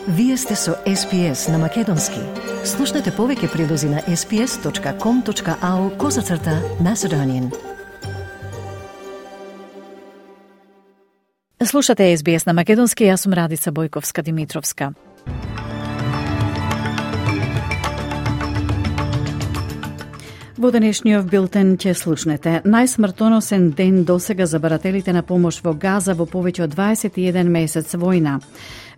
Вие сте со SPS на Македонски. Слушнете повеќе прилози на sps.com.au/Macedonian. Слушате SBS на Македонски, јас сум Радица Бојковска-Димитровска. Во денешниот билтен ќе слушнете: најсмртоносен ден досега за барателите на помош во Газа во повеќе од 21 месец војна.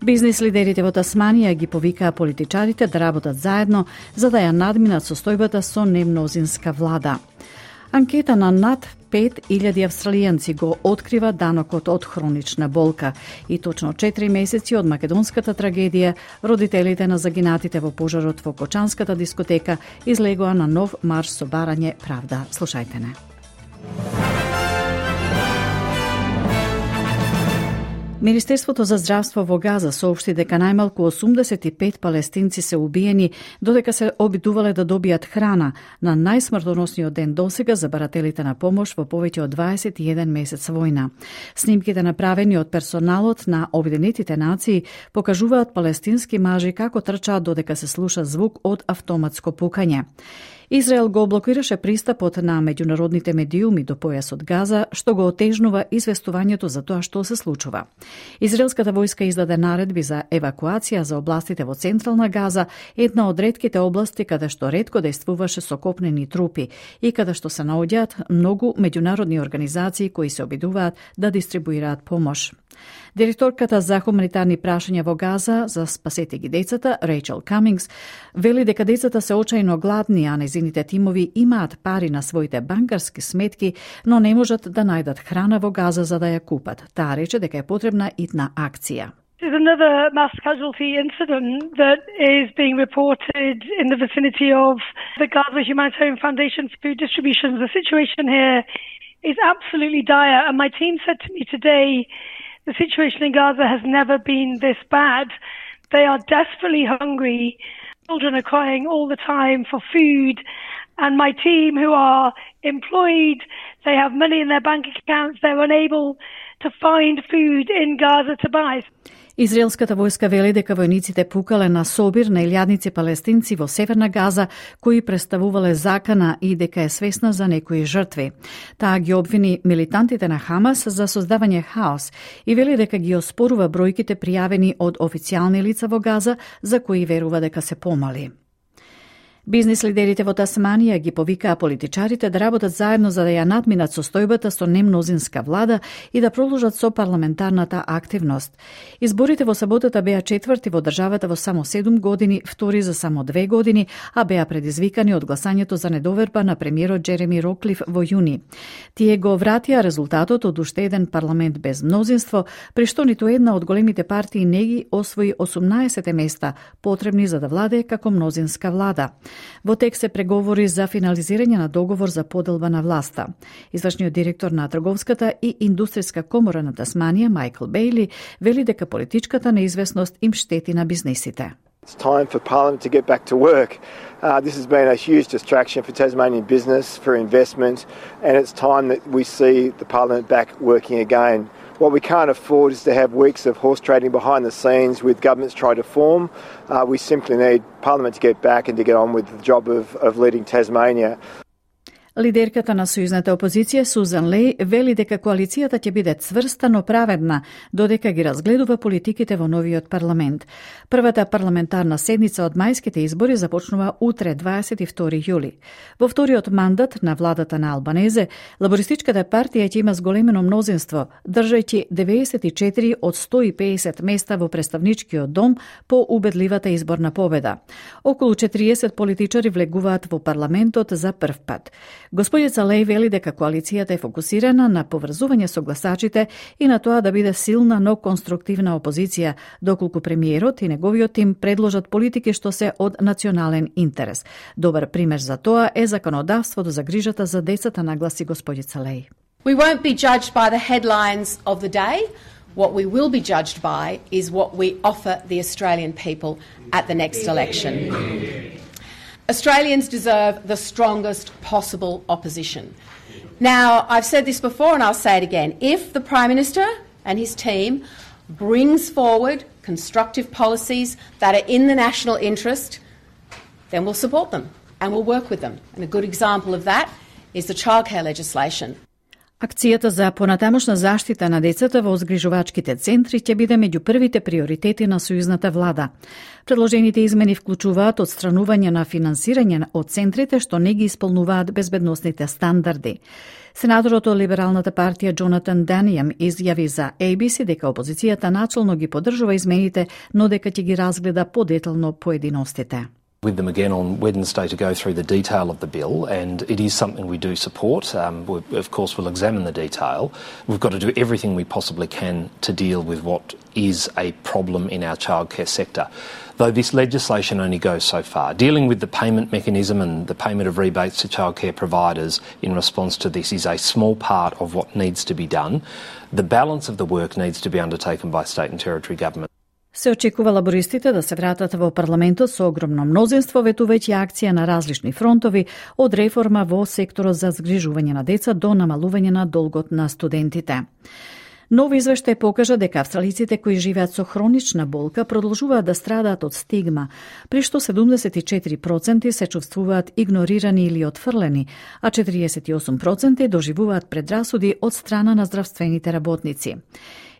Бизнис лидерите во Тасманија ги повикаа политичарите да работат заедно за да ја надминат состојбата со немнозинска влада. Анкета на над 5000 австралијанци го открива данокот од хронична болка и точно 4 месеци од македонската трагедија, родителите на загинатите во пожарот во Кочанската дискотека излегоа на нов марш со барање правда. Слушајте не. Министерството за здравство во Газа соопшти дека најмалку 85 палестинци се убиени додека се обидувале да добијат храна на најсмртоносниот ден досега за барателите на помош во повеќе од 21 месец војна. Снимките направени од персоналот на Обединетите нации покажуваат палестински мажи како трчаат додека се слуша звук од автоматско пукање. Израел го блокираше пристапот на меѓународните медиуми до појасот Газа, што го отежнува известувањето за тоа што се случува. Израелската војска издаде наредби за евакуација за областите во централна Газа, една од ретките области каде што ретко действуваше со копнени трупи и каде што се наоѓаат многу меѓународни организации кои се обидуваат да дистрибуираат помош. Директорката за хуманитарни прашања во Газа за Спасете ги децата, Рейчел Камингс, вели дека децата се очајно гладни, а незините тимови имаат пари на своите банкарски сметки, но не можат да најдат храна во Газа за да ја купат. Таа рече дека е потребна итна акција. There's another mass casualty incident that is being reported in the vicinity of the Gaza Humanitarian Foundation food distributions. The situation here is absolutely dire, and my team said to me today the situation in Gaza has never been this bad. They are desperately hungry. Children are crying all the time for food. And my team, who are employed, they have money in their bank accounts, they're unable to find food in Gaza to buy. Израелската војска вели дека војниците пукале на собир на илјадници палестинци во Северна Газа кои представувале закана и дека е свесна за некои жртви. Таа ги обвини милитантите на Хамас за создавање хаос и вели дека ги оспорува бројките пријавени од официјални лица во Газа за кои верува дека се помали. Бизнис лидерите во Тасманија ги повикаа политичарите да работат заедно за да ја надминат состојбата со немнозинска влада и да продолжат со парламентарната активност. Изборите во саботата беа четврти во државата во само 7 години, втори за само 2 години, а беа предизвикани од гласањето за недоверба на премиерот Джереми Роклиф во јуни. Тие го вратија резултатот од уште еден парламент без мнозинство, при што ниту една од големите партии не ги освои 18 места потребни за да владее како мнозинска влада. Во тек се преговори за финализирање на договор за поделба на власта. Извршниот директор на Трговската и индустријска комора на Тасманија, Майкл Бейли, вели дека политичката неизвестност им штети на бизнисите. It's time for Parliament to get back to work. This has been a huge distraction for Tasmanian business, for investment, and it's time that we see the Parliament back working again. What we can't afford is to have weeks of horse trading behind the scenes with governments trying to form. We simply need Parliament to get back and to get on with the job of leading Tasmania. Лидерката на сојузната опозиција Сузан Леј вели дека коалицијата ќе биде цврста, но праведна, додека ги разгледува политиките во новиот парламент. Првата парламентарна седница од мајските избори започнува утре, 22 јули. Во вториот мандат на владата на Албанезе, лабористичката партија ќе има зголемено мнозинство, држајќи 94 од 150 места во представничкиот дом по убедливата изборна победа. Околу 40 политичари влегуваат во парламентот за прв пат. Господица Леј вели дека коалицијата е фокусирана на поврзување со гласачите и на тоа да биде силна, но конструктивна опозиција, доколку премиерот и неговиот тим предложат политики што се од национален интерес. Добар пример за тоа е законодавството за грижата за децата, нагласи господица Леј. We won't be judged by the headlines of the day. What we will be judged by is what we offer the Australian people at the next election. Australians deserve the strongest possible opposition. Now, I've said this before and I'll say it again. If the Prime Minister and his team brings forward constructive policies that are in the national interest, then we'll support them and we'll work with them. And a good example of that is the childcare legislation. Акцијата за понатамошна заштита на децата во згрижувачките центри ќе биде меѓу првите приоритети на сојузната влада. Предложените измени вклучуваат отстранување на финансирање од центрите што не ги исполнуваат безбедносните стандарди. Сенаторот од Либералната партија Джонатан Данијам изјави за ABC дека опозицијата начелно ги поддржува измените, но дека ќе ги разгледа подетално поединостите. With them again on Wednesday to go through the detail of the bill, and it is something we do support. We, of course, we'll examine the detail. We've got to do everything we possibly can to deal with what is a problem in our childcare sector. Though this legislation only goes so far, dealing with the payment mechanism and the payment of rebates to childcare providers in response to this is a small part of what needs to be done. The balance of the work needs to be undertaken by state and territory government. Се очекува лабористите да се вратат во парламентот со огромно мнозинство, ветувајќи акција на различни фронтови, од реформа во секторот за згрижување на деца до намалување на долгот на студентите. Нов извештај покажа дека австралиците кои живеат со хронична болка продолжуваат да страдаат од стигма, при што 74% се чувствуваат игнорирани или отфрлени, а 48% доживуваат предрасуди од страна на здравствените работници.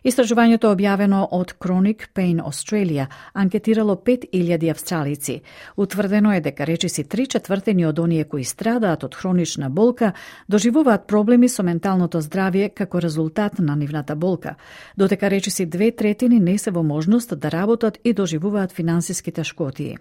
Истражувањето објавено од Chronic Pain Australia анкетирало 5000 австралици. Утврдено е дека речиси 3/4 од оние кои страдаат од хронична болка доживуваат проблеми со менталното здравје како резултат на нивната болка, додека речиси 2/3 не се во можност да работат и доживуваат финансиски тешкотии.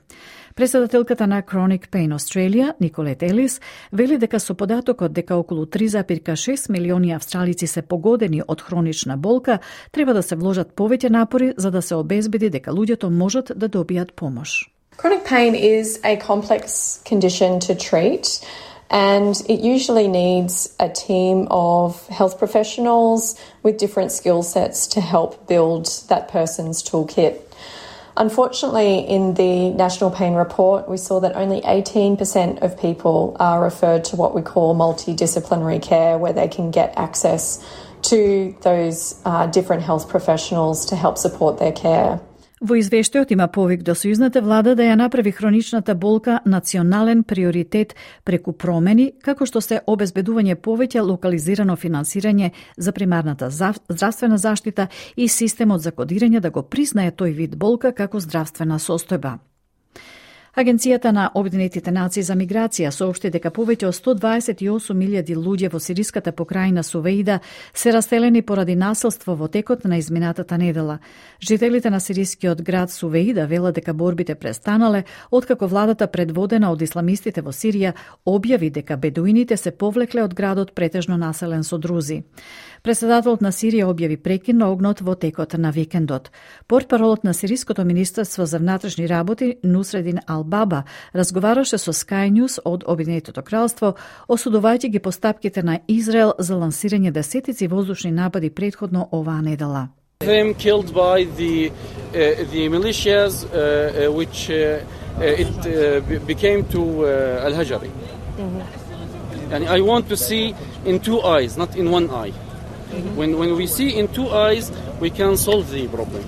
Председателката на Chronic Pain Australia, Николет Елис, вели дека со податокот дека околу 3,6 милиони австралици се погодени од хронична болка, треба да се вложат повеќе напори за да се обезбеди дека луѓето можат да добијат помош. Chronic pain is a complex condition to treat, and it usually needs a team of health professionals with different skill sets to help build that person's toolkit. Unfortunately, in the National Pain Report, we saw that only 18% of people are referred to what we call multidisciplinary care, where they can get access to those different health professionals to help support their care. Во извештајот има повик до сојузната влада да ја направи хроничната болка национален приоритет преку промени, како што се обезбедување повеќе локализирано финансирање за примарната здравствена заштита и системот за кодирање да го признае тој вид болка како здравствена состојба. Агенцијата на Обединетите нации за миграција соопшти дека повеќе од 128.000 луѓе во сириската покрајна Сувеида се раселени поради насилство во текот на изминатата недела. Жителите на сирискиот град Сувеида велат дека борбите престанале откако владата предводена од исламистите во Сирија објави дека бедуините се повлекле од градот претежно населен со друзи. Председателот на Сирија објави прекин на огнот во текот на викендот. Портпаролот на Сириското министерство за внатрешни работи Нусредин Ал-Баба разговараше со Sky News од Обединетото кралство, осудувајќи ги постапките на Израел за лансирање десетици воздушни напади претходно оваа недела. Them killed by the militias which it became to Al-Hajari. And I want to see in two eyes, not in one eye. When we see in two eyes, we can solve the problem.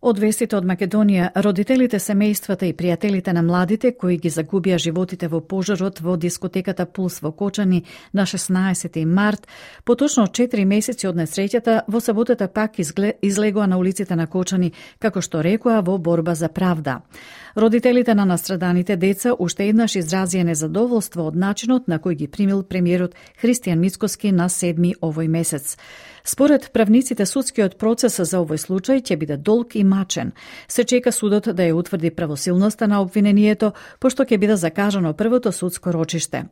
Од вестите од Македонија, родителите, семејствата и пријателите на младите кои ги загубија животите во пожарот во дискотеката Пулс во Кочани на 16 март, поточно 4 месеци од несреќата, во саботата пак излегоа на улиците на Кочани, како што рекоа во борба за правда. Родителите на настраданите деца уште еднаш изразија незадоволство од начинот на кој ги примил премиерот Христијан Мицкоски на 7 овој месец. Според правниците, судскиот процес за овој случај ќе биде долг и мачен. Се чека судот да ја утврди правосилноста на обвинението, пошто ќе биде закажано првото судско рочиште.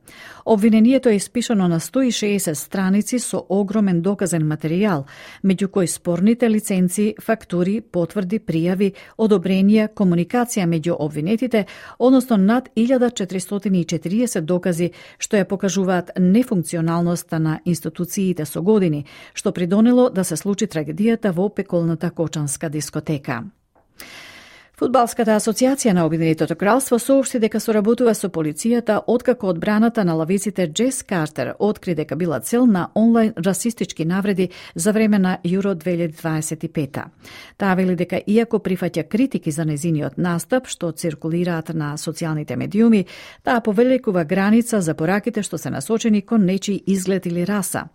Обвинението е испишано на 160 страници со огромен доказен материјал, меѓу кои спорните лиценци, фактури, потврди, пријави, одобренија, комуникација меѓу обвинетите, односно над 1440 докази што ја покажуваат нефункционалноста на институциите со години, што придонело да се случи трагедијата во пеколната Кочанска дискотека. Фудбалската асоциација на Обединетото кралство соопшти дека соработува со полицијата откако одбраната на лавиците Джес Картер откри дека била цел на онлайн расистички навреди за време на Јуро 2025. Таа вели дека иако прифаќа критики за незиниот настап што циркулираат на социјалните медиуми, таа повелекува граница за пораките што се насочени кон нечи изглед или раса.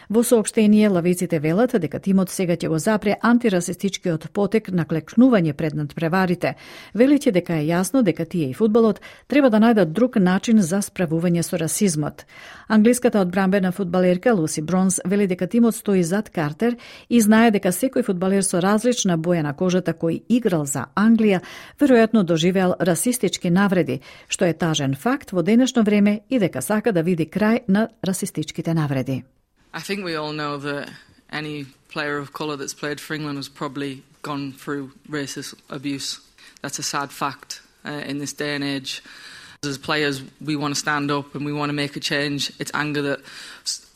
Во соопштение, лавиците велат дека тимот сега ќе го запре антирасистичкиот потек на клекнување пред надпреварите. Велите дека е јасно дека тие и фудбалот треба да најдат друг начин за справување со расизмот. Англиската одбранбена фудбалерка Луси Бронс вели дека тимот стои зад Картер и знае дека секој фудбалер со различна боја на кожата кој играл за Англија веројатно доживеал расистички навреди, што е тажен факт во денешно време и дека сака да види крај на расистичките навреди. I think we all know that any player of colour that's played for England has probably gone through racist abuse. That's a sad fact in this day and age. As players, we want to stand up and we want to make a change. It's anger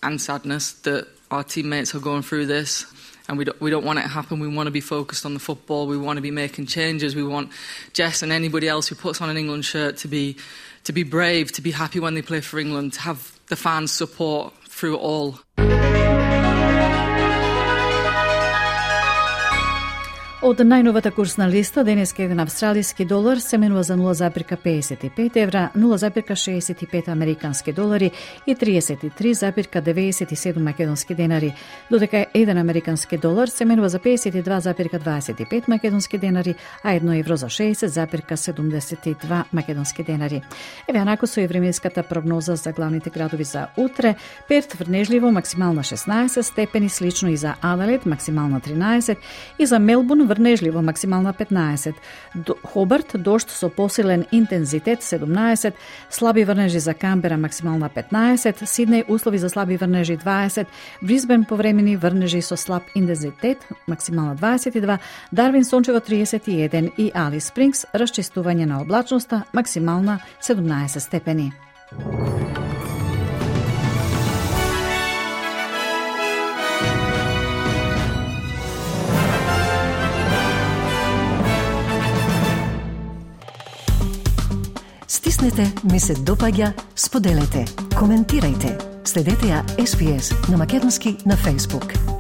and sadness that our teammates are going through this, and we don't want it to happen. We want to be focused on the football. We want to be making changes. We want Jess and anybody else who puts on an England shirt to be brave, to be happy when they play for England, to have the fans' support through it all. Од најновата курсна листа, денеска еден австралиски долар се менува за 0,55 евра, 0,65 американски долари и 33,97 македонски денари, додека еден американски долар се менува за 52,25 македонски денари, а 1 евро за 60,72 македонски денари. Еве анако со и временската прогноза за главните градови за утре. Перт врнежливо, максимална 16 степени, слично и за Аделаид, максимална 13, и за Мелбурн врнежливо, максимална 15. Хобарт, дожд со посилен интензитет 17, слаби врнежи за Камбера, максимална 15, Сиднеј услови за слаби врнежи 20, Брисбен повремени врнежи со слаб интензитет, максимална 22, Дарвин сончево 31 и Алис Спрингс расчистување на облачноста, максимална 17 степени. Стиснете, ми се допаѓа, споделете, коментирајте. Следете ја SPS на Македонски на Facebook.